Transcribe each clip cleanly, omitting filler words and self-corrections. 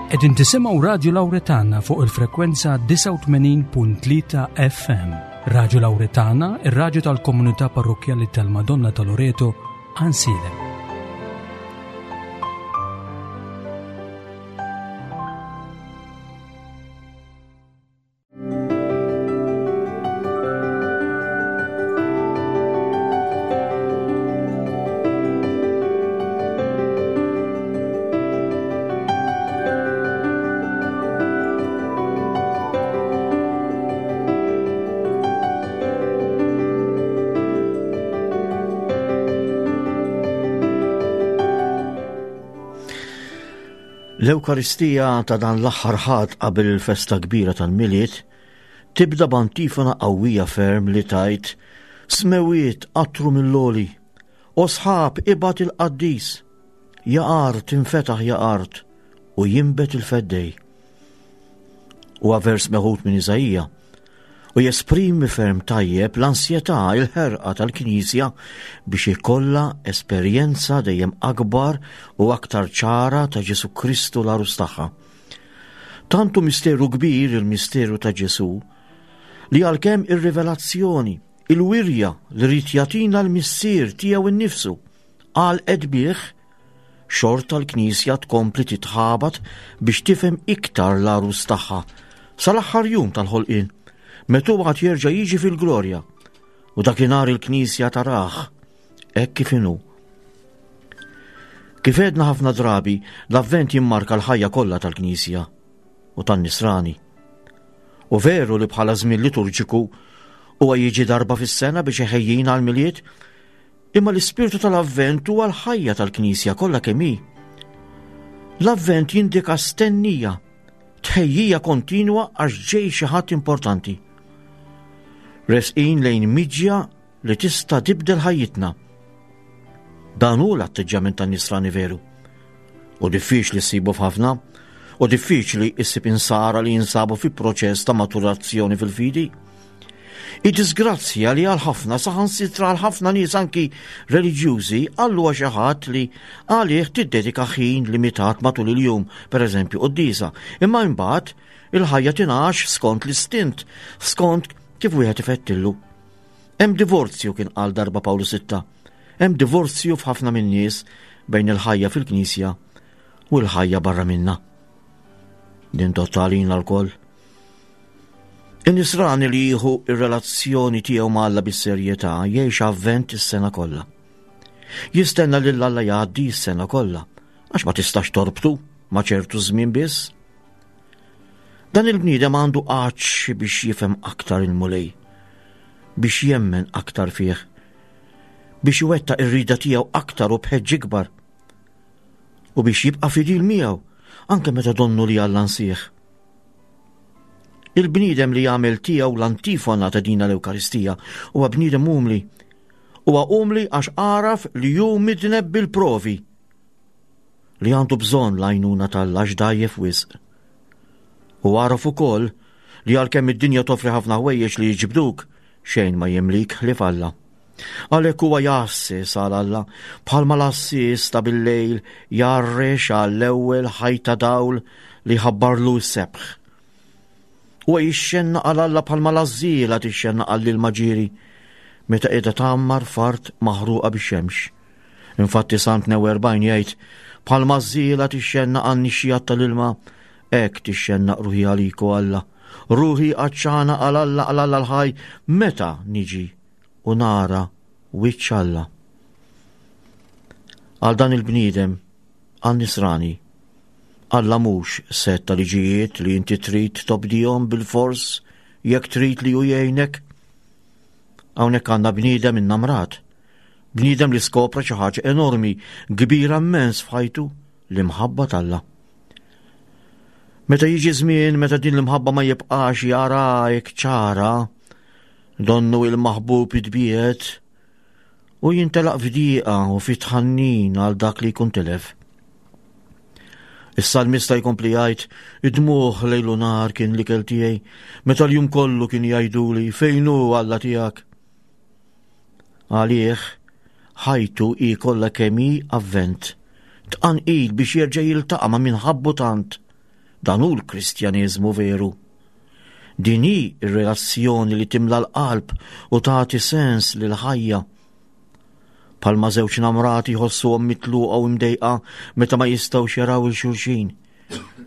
Qegħdin tisimgħu Radju Lawretana fuq il-frekwenza 89.3 FM. Radju Lawretana, ir-radju tal-komunità parrokkjali tal-Madonna ta' Loreto, Ansilem. L-Ewkaristija ta' dan l-aħħar ħadd qabel il-festa kbira tal-Milied tibda b'antifona qawwija ferm li tgħid Smewiet qatru mill-għoli, o sħab ibgħat il-qaddis, ja art infetaħ ja art u jinbet il-feddej. Huwa vers meħud minn Iżaija u jesprimi ferm tajjeb l-ansjetà, il-ħerqa tal-Knisja biex ikollha esperjenza dejjem akbar u aktar ċara ta' Ġesù Kristu l-għarus tagħha. Tant hu misteru kbir il-misteru ta' Ġesù li għalkemm ir-rivelazzjoni, il-wirja li ried jagħtina l-Missier tiegħu nnifsu għalqet bih, xorta l-Knisja tkompli titħabat biex tifhem iktar l-għarus tagħha sal-aħħar jum tal-ħolqien, meta hu għad jerġa' jiġi fil-glorja u dakinhar il-Knisja tarah hekk kif inhu. Kif għedna ħafna drabi, l-Avvent jimmarka l-ħajja kollha tal-Knisja u tan-Nisrani. U veru li bħala żmien liturġiku huwa jiġi darba fis-sena biex iħejjina għall-Milied, imma l-ispirtu tal-Avvent huwa l-ħajja tal-Knisja kollha kemm hi. L-Avvent jindika stennija, tħejjija kontinwa għax ġej xi ħadd importanti. Resqin lejn miġja li tista' tibdel ħajjitna. Dan hu l-atteġġjament tan-nisrani veru. U diffiċli ssibu f'ħafna, u diffiċli issib insara li jinsabu fi proċess ta' maturazzjoni fil-fidi. Id-disgrazzja li għal ħafna saħansitra għal ħafna nies anki reliġjużi għallu xi ħadd li għalih tiddedika ħin limitat matul il-jum, pereżempju quddiesa, imma imbagħad il-ħajja tingħax skont l-istint, skont kif wieħed ifettillu. Hemm divorzju kien qal darba Pawlu Sitta. Hemm divorzju f'ħafna min-nies bejn il-ħajja fil-Knisja u l-ħajja barra minna. Din tottalina lkoll. In-nisrani li jieħu ir-relazzjoni tiegħu ma' Alla bis-serjetà jgħix avvent is-sena kollha. Jistenna lil Alla jgħaddi s-sena kollha, għax ma tistax torbtu ma' ċertu żmien biss. Dan il-bniedem għandu għatx biex jifhem aktar il-Mulej, biex jemmen aktar fih, biex iwettaq ir-rida tiegħu aktar u b'ħeġġ ikbar, u biex jibqa' fidil miegħu anke meta donnu li Alla nsieħ. Il-bniedem li jagħmel tiegħu l-antifona ta' dina l-Ewkaristija huwa bniedem umli. Huwa umli għax għaraf li hu midneb bil-provi li għandu bżonn l-għajnuna t'Alla għax dgħajjef wisq. U għaraf ukoll li għalkemm id-dinja toffri ħafna ħwejjeġ li jiġbduk, xejn ma jimlik ħlief Alla. Għalhekk huwa jgħasses għal Alla, bħalma l-għassies ta' bil-lejl jgħarrex għall-ewwel ħajta dawl li jħabbarlu s-sebħ. Huwa jixxennaq għal Alla bħalma l-għażżiela tixxennaq għall-ilma ġieri meta qiegħda tgħammar f'art maħruqa bix-xemx. Infatti Salm 42 jgħid, Bħalma ż-żiela tixxennaq għan-nixxijat tal-ilma, hekk tixxennaq ruħi għalik o Alla. Ruħi għatxana għal Alla għal Alla l-ħaj, meta niġi u nara wiċċ Alla. Għal dan il-bniedem, għal nisrani, Alla mhux set ta' liġijiet li inti trid tobdihom bil-fors jekk trid li hu jgħinek. Hawnhekk għandna bniedem innamrat Bniedem li skopra xi ħaġa enormi, kbira mmens f'ħajtu, l-imħabba t'Alla. Meta jiġi żmien meta din l-imħabba ma jibqax jara hekk ċara, donnu il-maħbub itbiegħed u jintelaq f'dieqa u fi tħannin għal dak li jkun tilef. Is-salmista jkompli jgħid, id-dmugħ lejl u nhar kien l-ikel tiegħi, meta l-jum kollu kien jgħiduli fejn hu Alla tiegħek. Għalih, ħajtu hi kollha kemm hi avvent, tqanqil biex jerġa' jiltaqa' ma' min ħabbu tant. Dan hu l-Kristjaneżmu veru. Din hi r-relazzjoni li timla l-qalb u tagħti sens lill-ħajja. Bħalma żewġ namrati jħossuhom mitluqa u mdejqa meta ma jistgħux jaraw il xulxin.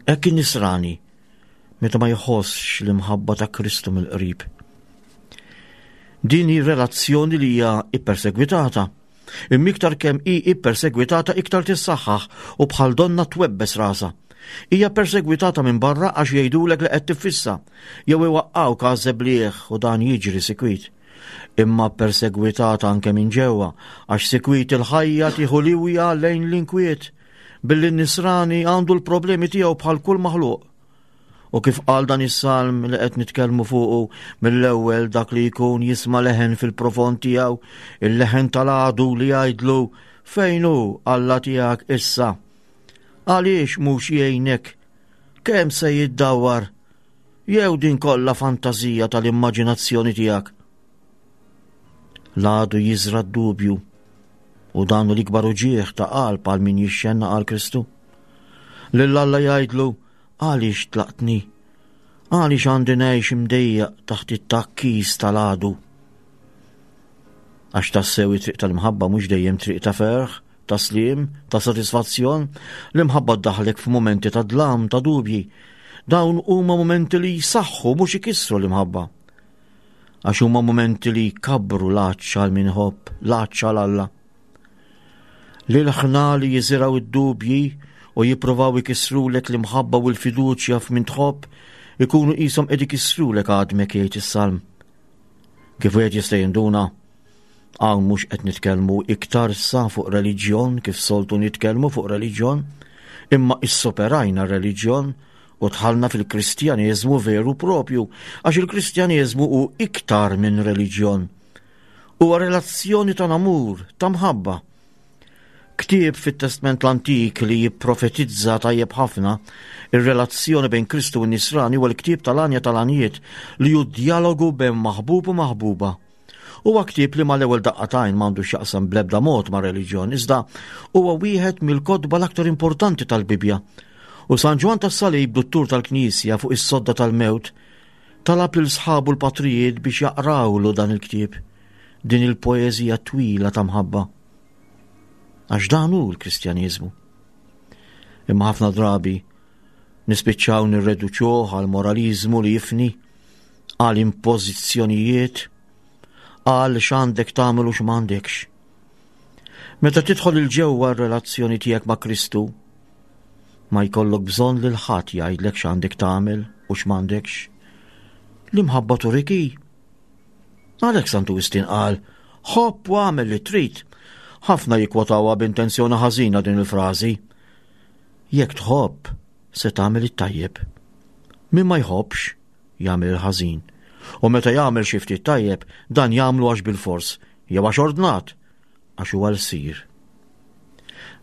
Hekk in-nisrani meta ma jħossx l-imħabba ta' Kristu mill-qrib. Din hi relazzjoni li hija ippersegwitata. Imma iktar kemm hi ippersegwitata iktar tissaħħaħ u bħal donna twebbes rasha. Hija persegwitata minn barra għax jgħidulek li qed tiffissa, jew iwaqqgħuk għaż-żebliegħ u dan jiġri sikwit. Imma persegwitata anke minn ġewwa għax sikwit il-ħajja tieħu liwja lejn l-inkwiet billi n-nisrani għandu l-problemi tiegħu bħal kull maħluq. U kif qal dan is-salm li qed nitkellmu fuqu mill-ewwel dak li jkun jisma' leħen fil-profond tiegħu, il-leħen tal-għadu li jgħidlu fejn hu Alla tiegħek issa? Għaliex mhux jgħinek? Kemm se jiddawwar? Jew din kollha fantażija tal-immaġinazzjoni tiegħek? L-għadu jiżra d-dubju u dan hu l-ikbar uġigħ ta' qalb għal min jixxenna għal Kristu. Lil Alla jgħidlu għaliex tlaqtni? Għaliex għandi ngħix imdejjaq taħt it-takkis tal-għadu? Għax tassew it-triq tal-imħabba mhux dejjem triq ta' ferħ, ta' sliem, ta' sodisfazzjon, l-imħabba ddaħlek f'mumenti ta' dlam, ta' dubji. Dawn huma mumenti li jsaħħu mhux ikissru l-imħabba. Għax huma mumenti li jkabbru l-għatx għal min iħobb, l-għatx għal Alla. L-ilħna li jiżirgħu id-dubji u jippruvaw ikissrulek l-imħabba u l-fiduċja f'min tħobb ikunu qishom qed ikissrulek għadmek jgħid is-salm. Kif wieħed jista' jinduna, hawn mhux qed nitkellmu iktar sa fuq reliġjon kif soltu nitkellmu fuq reliġjon, imma issoperajna r-reliġjon u dħalna fil-Kristjaneżmu veru propju, għax il-Kristjaneżmu hu iktar minn reliġjon. Huwa relazzjoni ta' namur, ta' mħabba. Ktieb fit-Testment l-Antik li jipprofetizza tajjeb ħafna ir-relazzjoni bejn Kristu u n-Nisrani huwa l-ktieb tal-Għanja tal-Għanjiet li hu djalogu bejn maħbub u maħbuba. Huwa ktieb li mal-ewwel daqqa t'għajn m'għandu x'jaqsam bl-ebda mod ma' reliġjon, iżda huwa wieħed mill-kotba l-aktar importanti tal-Bibbja. U San Ġwann tas-Salib, duttur tal-Knisja fuq is-sodda tal-mewt, talab lil sħabu l-patrijiet biex jaqrawlu dan il-ktieb, din il-poeżija twila ta' mħabba. Għax dan hu l-Kristjaniżmu. Imma ħafna drabi nispiċċaw nirreduċuh għal moraliżmu li jifni, għal impożizzjonijiet, għal x'għandek tagħmel u x'm'għandekx. Meta tidħol il-ġewwa r-relazzjoni tiegħek ma' Kristu, ma jkollok bżonn lil ħadd jgħidlek x'għandek tagħmel u x'm'għandekx. L-imħabba turik hi. Għalhekk Santu Wistin qal, ħobb u għamel li trid. Ħafna jikkwotawha b'intenzjoni ħażina din il-frażi. Jekk tħobb, se tagħmel it-tajjeb. Min ma jħobbx, jagħmel il-ħażin. U meta jagħmel xi ftit tajjeb, dan jagħmlu għax bilfors, jew għax ordnat, għax huwa lsir.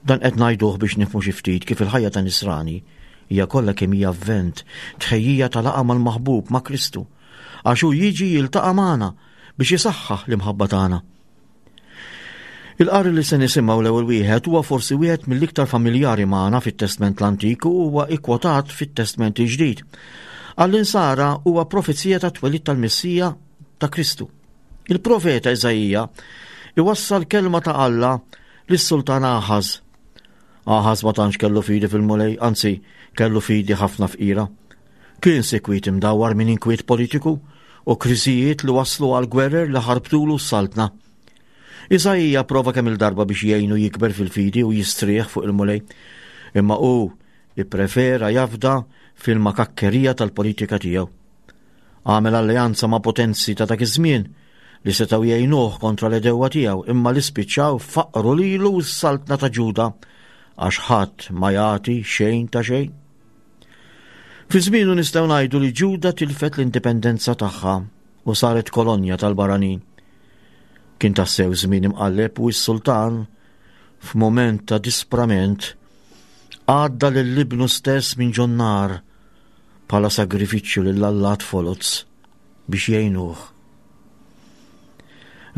Dan qed ngħiduh biex nifhmu xi ftit kif il-ħajja ta' Nisrani hija kollha kemm hija avvent, tħejjija ta' laqgħa mal-maħbub ma' Kristu, għax hu jiġi jiltaqa' magħna biex isaħħaħ l-imħabba tagħna. Il-qari li se nisimgħu l-ewwel wieħed huwa forsi wieħed mill-iktar familjari magħna fit-Testment l-Antik u huwa ikkwotat fit-Testment il-Ġdid. Għall-insara huwa profezija ta' twelid tal-Messija ta' Kristu. Il-profeta Iżaija iwassal kelma ta' Alla lis-sultan Aħaż. Aħaż ma tantx kellu fidi fil-Mulej, anzi kellu fidi ħafna fqira. Kien sikwit imdawwar minn inkwiet politiku u kriżijiet li waslu għal gwerer li ħarbtulu s-saltna. Iżaija prova kemm il-darba biex jgħinu jikber fil-fidi u jistrieħ fuq il-Mulej, imma hu ipprefera jafda fil-makakkerija tal-politika tiegħu. Għamel alleanza ma' potenzi ta' dak iż-żmien li setgħu jgħinuh kontra l-edewwa tiegħu imma li spiċċaw faqru lilu s-saltna ta' Ġuda għax ħadd ma jagħti xejn ta' xejn. Fi żmienu nistgħu ngħidu li Ġuda tilfet l-indipendenza tagħha u saret kolonja tal-barranin. Kien tassew żmien imqalleb u s-sultan f'mument ta' disprament għadda lil ibnu stess minn ġon-nar bħala sagrifiċċju lil allat foloz biex jgħinuh.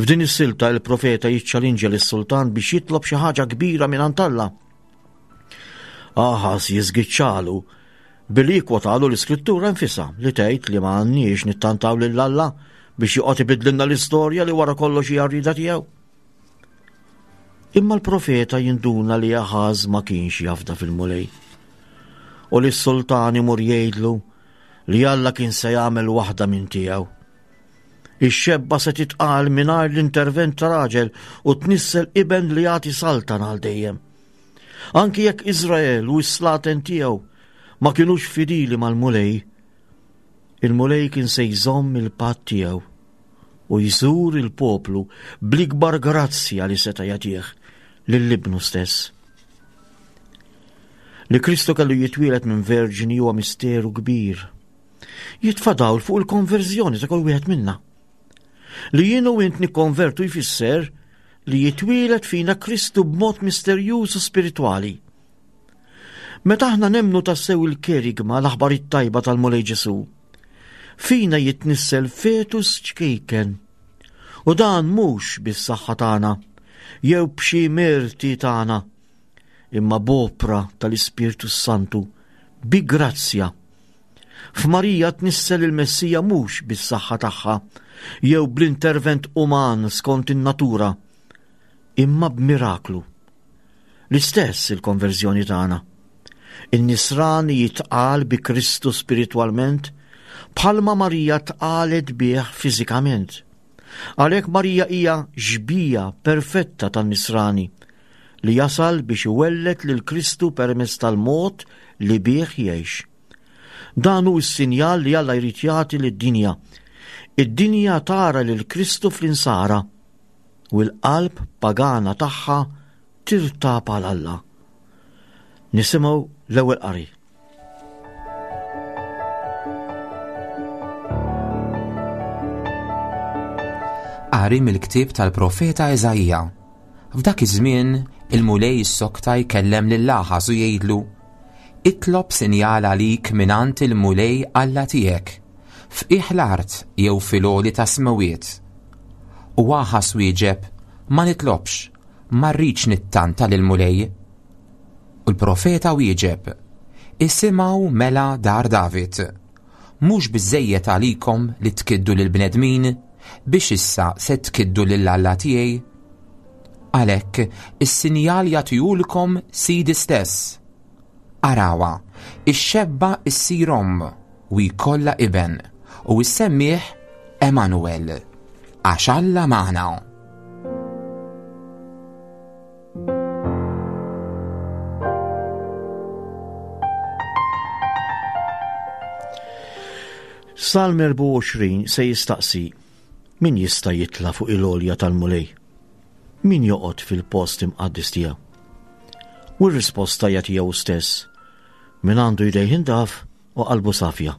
F'din is-silta il-profeta jiċċalinġa lis-sultan biex jitlob xi ħaġa kbira minn Alla. Aħas jiżgiċċalu. Billi jikkwotalu l-Iskrittura nfisha li tgħid li ma għandniex nittantaw lil Alla biex joqgħod ibidlilna l-istorja li wara kollox hija rrida tiegħu. Imma l-profeta jinduna li Aħaż ma kienx jafda fil-Mulej. U li s-sultan imur jgħidlu li Alla kien se jagħmel waħda minn tiegħu. Ix-xebba se titqal mingħajr l-intervent ta' raġel u tnissel iben li jagħti saltan għal dejjem. Anki jekk Iżrael u s-slaten tiegħu ma kinux fidili mal-Mulej, il-Mulej kien se jżomm il-patt tiegħu u jżur il-poplu bl-ikbar grazzja li seta' jagħtih lil ibnu stess. Li Kristu kellu jitwielet minn verġni huwa misteru kbir. Jitfa' dawl fuq il-konverżjoni ta' kull wieħed minna. Li jien u int nikkonvertu jfisser li jitwielet fina Kristu b'mod misterjuż u spiritwali. Meta aħna nemmnu tassew il-kerigma l-aħbar it-tajba tal-Mulej Ġesù, fina jitnissel fetus ċkejken. U dan mhux bis-saħħa tagħna jew b'xi merti tagħna, imma b'opra tal-Ispirtu Santu bi grazzja. F'Marija tnissel il-Messija mhux bis-saħħa tagħha jew bl-intervent uman skont in-natura, imma b'miraklu. L-istess il-konverżjoni tagħna. In-nisrani jitqal bi Kristu spiritwalment bħalma Marija tqalet bih fiżikament. Għalhekk Marija hija xbija perfetta tan-nisrani li jasal biex iwelled lil Kristu permezz tal-mod li bih jgħix. Dan hu s-sinjal li Alla jrid jagħti lid-dinja. Id-dinja tara lil Kristu fl-insara u l-qalb pagana tagħha tirtab għal Alla. Nisimgħu l-ewwel qari. Qari mill-ktieb tal-profeta Eżaija. F'dak iż-żmien il-Mulej issokta jkellem lil Aħaż u jgħidlu, Itlob sinjal għalik mingħand il-Mulej Alla tiegħek, f'qiegħ l-art jew fil-għoli tas-smewwiet. U Aħaż wieġeb, Ma nitlobx, ma rridx nittanta lill-Mulej. U l-profeta wieġeb, Isimgħu mela dar David. Mhux biżżejjed għalikom li tkiddu lill-bnedmin biex issa se tkiddu lil Alla tiegħi? Għalhekk, is-sinjal jagħtihulkom Sidi stess. Arawha, ix-xebba ssir omm u jkollha iben, u issemmih Emanuel, għax Alla magħna. Salm 24 se jistaqsi min jista' jitla' fuq il-għolja tal-Mulej? Min joqgħod fil-post imqaddis tiegħu? U r-risposta hija tiegħu stess, min għandu jdejh indaf u qalbu safja.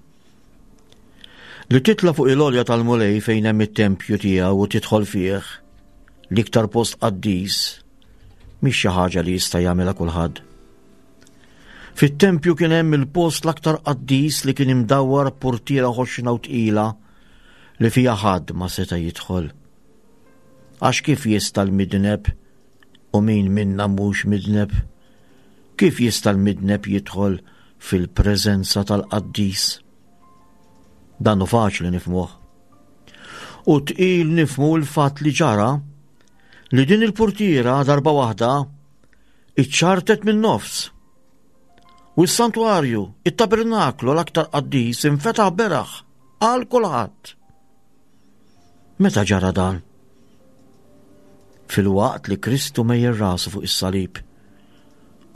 Li titla' fuq il-għolja tal-Mulej fejn hemm it-tempju tiegħu u tidħol fih, l-iktar post qaddis, mhix xi ħaġa li jista' jagħmilha kulħadd. Fit-tempju kien hemm il-post l-aktar qaddis li kien imdawwar b'purtiera ħoxna u tqila li fiha ħadd ma seta' jidħol. Għax kif jista' l-midneb u min minna mhux midneb? Kif jista' l-midneb jidħol fil-preżenza tal-qaddis? Dan hu faċli nifhmuh. U tqil nifhmu l-fatt li ġara li din il-purtiera darba waħda iċċartet min-nofs. U s-santwarju, it-tabernaklu l-aktar qaddis infetaħ beraħ għal kulħadd. Meta ġara dan? Filwaqt li Kristu mejjel rasu fuq is-salib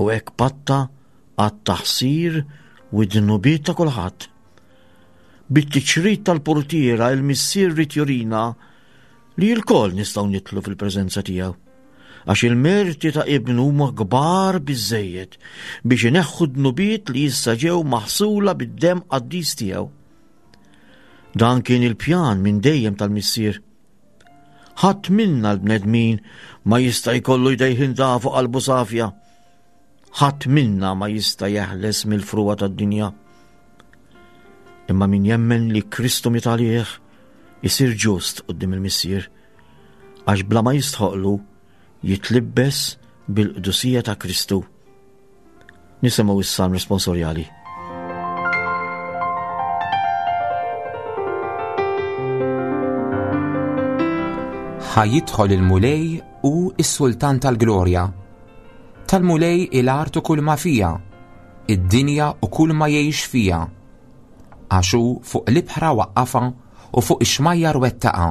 u hekk patta għat-taħsir u d-dnubiet ta' kulħadd. Bit-tiċrit tal-purtiera il-Missier ried jurina li lkoll nistgħu nidħlu fil-preżenza tiegħu. Għax il-merti ta' ibnu huma kbar biżżejjed biex ineħħu dnubiet li issa ġew maħsula bid-demm qaddis tiegħu. Dan kien il-pjan minn dejjem tal-Missier. Ħadd minna l-bnedmin ma jista' jkollu jdejh indafu qalbu safja. Ħadd minna ma jista' jeħles mill-frugħa tad-dinja. Imma min jemmen li Kristu miet għalih isir ġust quddiem il-Missier, għax bla ma jistħoqlu jitlibbes bil-qdusija ta' Kristu. Nisimgħu is-salm responsorjali. Ħa jidħol il-Mulej u s-Sultan tal-Glorja. Tal-Mulej il-art u kull ma fija, id-dinja u kull ma jgħix fija. Għax hu fuq l-ibħra waqqafha u fuq ix-xmajjar wettaqha.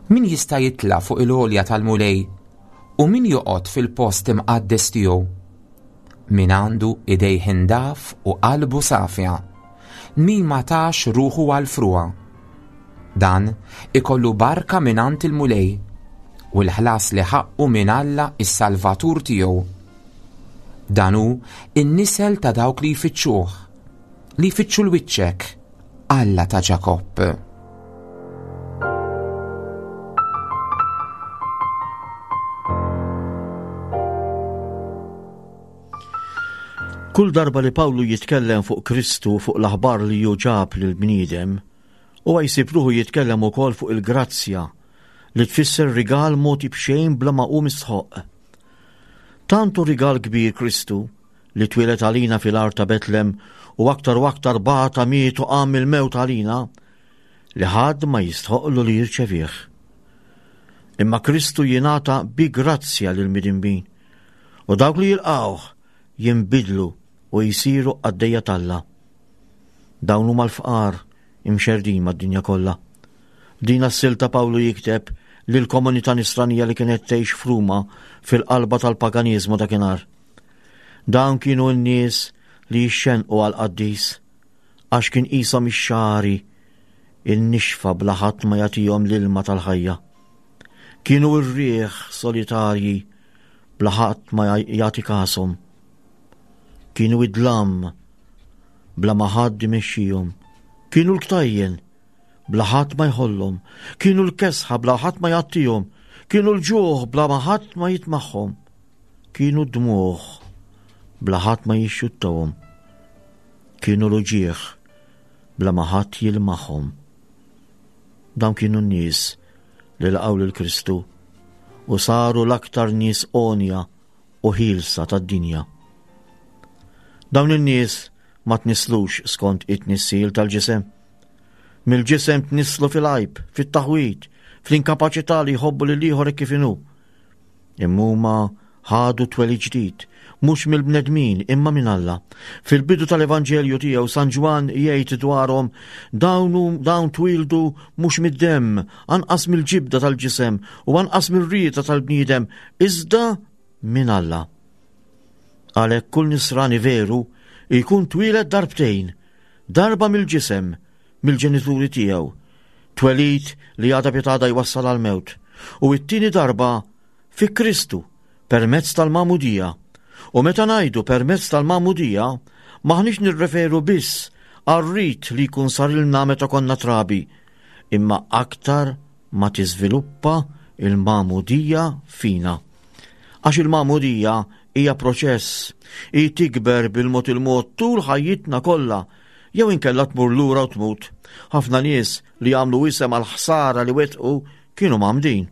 Min jista' jitla' fuq il-għolja tal-Mulej u min joqgħod fil-post imqaddes tiegħu? Min għandu idejh indaf u qalbu safja, min ma tax ruħu għall-frugħa. Dan ikollu barka mingħand il-Mulej u l-ħlas li ħaqqu minn Alla is-Salvatur tiegħu. Dan hu n-nisel ta' dawk li jfittxuh, li jfittxu l-wiċċek, Alla ta' Ġakobb. Kull darba li Pawlu jitkellem fuq Kristu fuq l-aħbar li hu ġab lill-bniedem, huwa jsib ruħu jitkellem ukoll fuq il-grazzja li tfisser rigal mogħti b'xejn bla ma hu mistħoqq. Tant hu rigal kbir Kristu li twieled għalina fil-għar ta' Betlem u aktar u aktar bata miet u qam mill-mewt għalina, li ħadd ma jistħoqlu li jirċevih. Imma Kristu jingħata bi grazzja lil midinbin u dawk li jilqgħuh jinbidlu u jsiru qaddejja t'Alla. Dawn huma l-fqar imxerrdin mad-dinja kollha. F'din s-silta Pawlu jikteb lill-komunità nisranija li kienet tgħix f'Ruma fil-qalba tal-paganiżmu dakinhar. Dawn kienu n-nies li jixxenqu għall-qaddis għax kien qishom ix-xagħri in-nixfa bla ħadd ma jagħtihom l-ilma tal-ħajja. Kienu r-riħ solitarji bla ħadd ma jagħti kashom. Kienu id-dlam bla ma ħadd imexxihom. Kienu l-ktajjen bla ħadd ma jħollhom. Kienu l-kesħa bla ħadd ma jgħattihom. Kienu l-ġuħ bla ma ħadd ma jitmagħhom. Kienu d-dmugħ bla ħadd ma jixxuttahom. Kienu l-uġigħ bla ma ħadd jilmaħhom. Dawn kienu n-nies li laqgħu lil Kristu u saru l-aktar nies għonja u ħielsa tad-dinja. Dawn in-nies ma tnisslux skont it-tnissil tal-ġisem. Mill-ġisem tnisslu fil-għajb, fit-taħwid, fl-inkapaċità li jħobbu lil ieħor kif inhu. Imma huma ħadu twelid ġdid, mhux mill-bnedmin imma minn Alla. Fil-bidu tal-Evanġelju tiegħu San Ġwann jgħid dwarhom dawn dawn twildu mhux mid-demm, anqas mill-ġibda tal-ġisem u anqas mir-rieda tal-bniedem, iżda minn Alla. Għalhekk kull nisrani veru jkun twieled darbtejn, darba mill-ġisem, mill-ġenituri tiegħu, twelid li għada pitgħada jwassal għall-mewt, u t-tieni darba fi Kristu permezz tal-magħmudija. U meta ngħidu permezz tal-magħmudija, m'aħniex nirreferu biss għar-rit li jkun sarilna meta konna trabi, imma aktar ma tiżviluppa il-magħmudija fina. Għax il-magħmudija hija proċess, hi tikber bil-mod il-mod tul ħajjitna kollha jew inkella tmur lura u tmut. Ħafna nies li għamlu isem għal ħsara li wettqu kienu mgħammdin.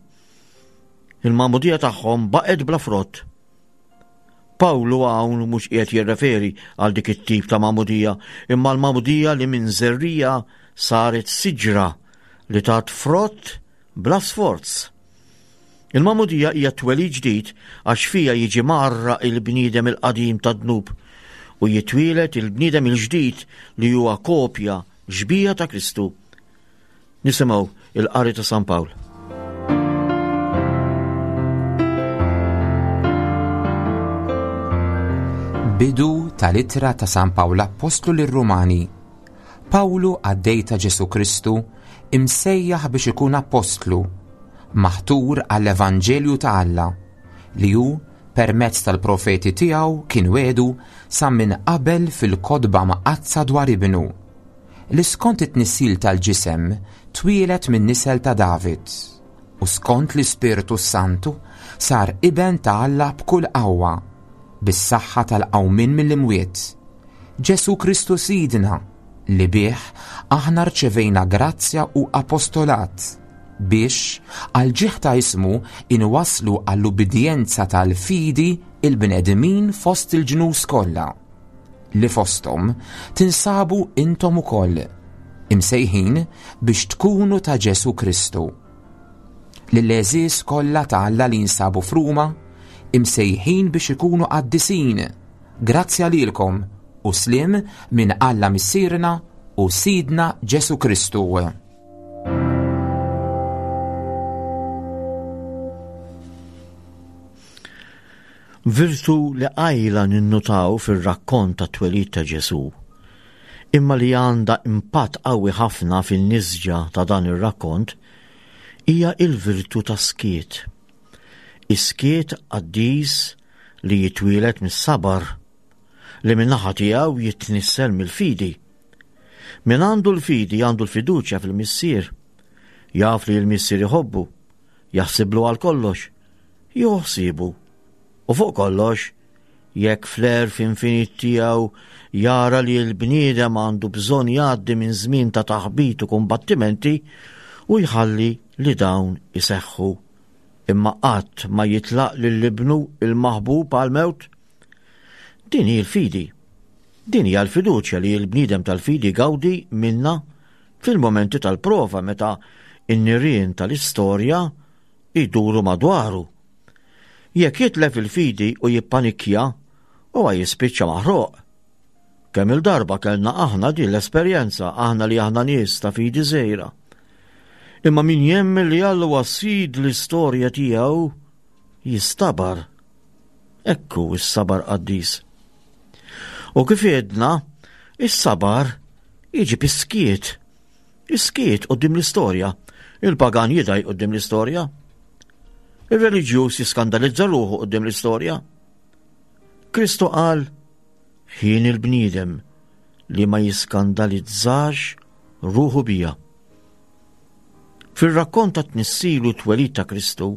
Il-magħmudija tagħhom baqgħet bla frott. Pawlu hawn mhux qiegħed jirreferi għal dik it-tip ta' magħmudija, imma l-magħmudija li minn żerrija saret siġra li tat frott bla sforz. Il-magħmudija hija twelid ġdid għax fiha jiġi mgħarraq il-bniedem il-qadim tad-dnub u jitwieled il-bniedem il-ġdid li huwa kopja xbieha ta' Kristu. Nisimgħu il-qari ta' San Pawl. Bidu tal-ittra ta' San Pawl Appostlu lir-Rumani. Pawlu qaddej ta' Ġesù Kristu, imsejjaħ biex ikun appostlu, maħtur għall-evanġelju ta' Alla, li hu permezz tal-profeti tiegħu kien wiegħdu sa minn qabel fil-kotba mqaddsa dwar ibnu, li skont it-tnissil tal-ġisem twieled min-nisel ta' David, u skont l-Ispirtu s-Santu sar iben ta' Alla b'kull qawwa, bis-saħħa tal-qawmien mill-imwiet. Ġesù Kristu Sidna, li bih aħna rċevejna grazzja u apostolat, biex, għall-ġieħ ta' ismu, inwasslu għall-ubbidjenza tal-fidi il-bnedmin fost il-ġnus kollha, li fosthom tinsabu intom ukoll, imsejħin biex tkunu ta' Ġesù Kristu. Lill-għeżież kollha ta' Alla li jinsabu f'Ruma, imsejħin biex ikunu qaddisin, grazzja lilkom u sliem minn Alla Missierna u Sidna Ġesù Kristu. Virtu li qajla ninnutaw fir-rakkont tat-twelid ta' Ġesù, imma li għandha impatt qawwi ħafna fin-nisġa ta' dan ir-rakkont, hija l-virtu tas-skiet. Is-skiet qaddis li jitwieled mis-sabar, li min-naħa tiegħu jitnissel mill-fidi. Min għandu l-fidi għandu l-fiduċja fil-Missier. Jaf li l-Missier iħobbu, jaħsiblu għal kollox, jieħu ħsiebu. U fuq kollox, jekk fl-għerf infinit tiegħu jara li l-bniedem għandu bżonn jgħaddi minn żmien ta' taħbit u kumbattimenti u jħalli li dawn iseħħu. Imma qatt ma jitlaq lil ibnu il-maħbub għall-mewt. Din hi l-fidi. Din hija l-fiduċja li l-bniedem tal-fidi jgawdi minnha fil-mumenti tal-prova meta n-nirien tal-istorja jduru madwaru. Jekk jitlef il-fidi u jippanikkja, huwa jispiċċa maħruq. Kemm-il darba kellna aħna din l-esperjenza, aħna li aħna nies ta' fidi żgħira. Imma min jemmen li Alla huwa sid l-istorja tiegħu jistabar. Ekku s-sabar qaddis. U kif għedna, is-sabar jiġi piskiet. Is-skiet quddiem l-istorja. Il-pagan jidgħi quddiem l-istorja. Ir-reliġjuż jiskandalizza ruħu quddiem l-istorja. Kristu qal, ħin il-bniedem li ma jiskandalizzax ruħu bija. Fir-rakkont ta' tnissil u twelid ta' Kristu,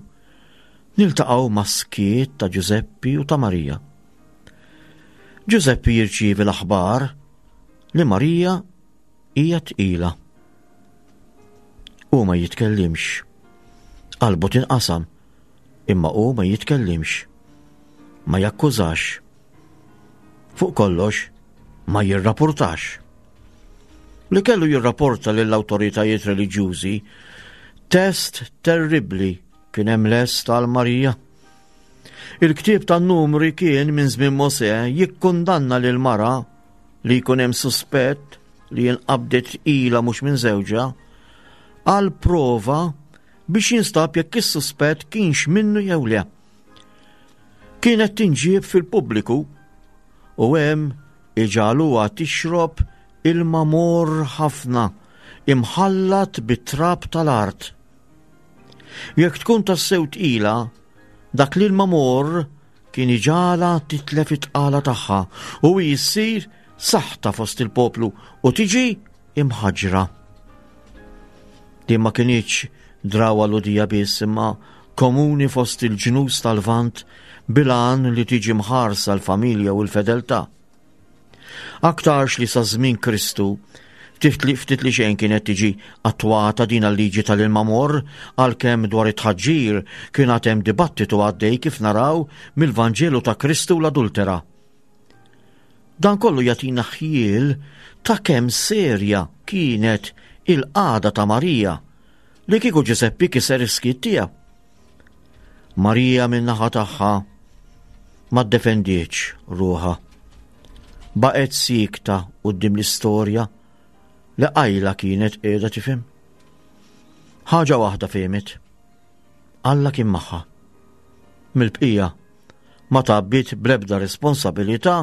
niltaqgħu ma' skiet ta' Ġużeppi u ta' Marija. Ġużeppi jirċievi l-aħbar li Marija hija tqila. Hu ma jitkellimx. Qalbu tinqasam, imma hu ma jitkellimx. Ma jakkużax. Fuq kollox, ma jirrapportax. Li kellu jirrapporta lill-awtoritajiet reliġjużi test terribbli kien hemm lest għal Marija. Il-ktieb tan-numri kien minn żmien Mosè jikkundanna lil mara li jkun hemm suspett li jinqabdet tqila mhux minn żewġha għal prova biex jinstab jekk is-suspett kienx minnu jew le. Kienet tinġieb fil-pubbliku u hemm iġagħluha tixrob ilma morr ħafna imħallat bit-trab tal-art. Jekk tkun tassew tqila, dak l-ilma morr kien iġagħalha titlef it-tqala tagħha u hi ssir saħta fost il-poplu u tiġi imħaġġra. Din ma kinitx drawwa Lhudija biss imma komuni fost il-ġnus tal-Lvant bil-għan li tiġi mħarsa l-familja u l-fedeltà. Aktarx li sa żmien Kristu ftit li ftit li xejn kienet tiġi attwata din l-liġi tal-ilma morr għalkemm dwar it-tħaġġir kien għad hemm dibattitu għaddej kif naraw mill-Vanġelu ta' Kristu l-adultera. Dan kollu jagħtina ħjiel ta' kemm serja kienet il-qagħda ta' Marija li kieku Ġużeppi kiser is-skiet tiegħu. Marija min-naħa tagħha ma ddefendietx ruħha. Baqgħet siekta quddiem l-istorja li qajla kienet qiegħda tifhem. Ħaġa waħda fehmet. Alla kien magħha. Mill-bqija ma tgħabbiet bl-ebda responsabilità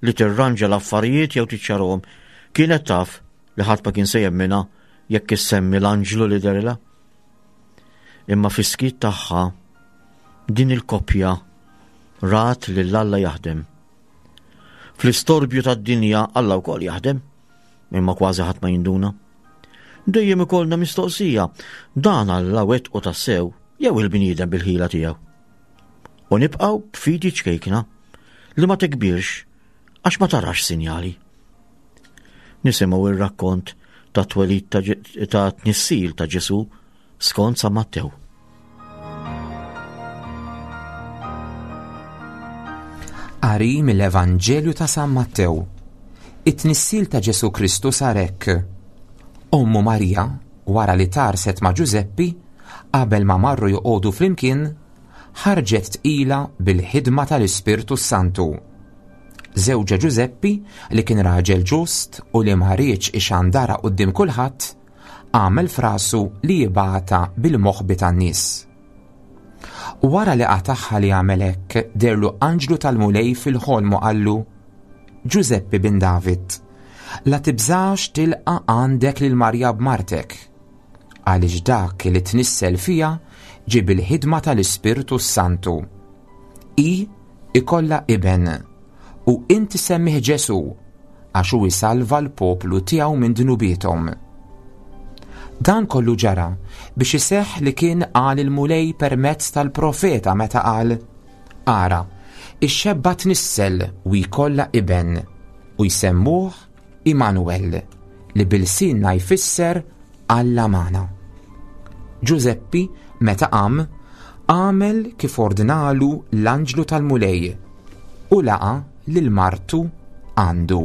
li tirranġa l-affarijiet jew tiċċarhom. Kienet taf li ħadd ma kien se jemminha jekk issemmi l-anġlu li derilha. Imma fis-skiet tagħha din il-koppja rat lil Alla jaħdem. Fl-istorbju tad-dinja Alla wkoll jaħdem, imma kważi ħadd ma jinduna. Dejjem ikollna mistoqsija, dan Alla wettqu tassew jew il-bniedem bil-ħila tiegħu. U nibqgħu b'fidi ċkejkna li ma tikbirx għax ma tarax sinjali. Nisimgħu ir-rakkont ta' twelid ta' tnissil ta' Ġesu skont San Mattew. Qari mill-Evanġelju ta' San Mattew. It-tnissil ta' Ġesu Kristu sar hekk. Ommu Marija, wara li tarset ma' Ġużeppi, Qabel ma marru joqogħdu flimkien, ħarġet tqila bil-ħidma tal-Ispirtu s-Santu. Żewġha Ġużeppi, li kien raġel ġust u li ma riedx ixandarha quddiem kulħadd, għamel f'rasu li jibgħatha bil-moħbi tan-nies. Wara li qatagħha li għamel hekk, deherlu anġlu tal-Mulej fil-ħolm u qallu, Ġużeppi bin David, la tibżax tilqa' għandek lil Marija b'martek, għaliex dak li tnissel fiha ġie bil-ħidma tal-Ispirtu s-Santu. Hi ikollha iben, u int issemmih Ġesù, għax hu jsalva l-poplu tiegħu minn dnubiethom. Dan kollu ġara biex iseħħ li kien qal il-Mulej permezz tal-profeta meta qal, Ara, ix-xebba tnissel u jkollha iben, u jsemmuh Immanuel, li b'ilsienna jfisser Alla magħna. Ġużeppi, meta qam, għamel kif ordnalu l-anġlu tal-Mulej u laqa' lil martu għandu.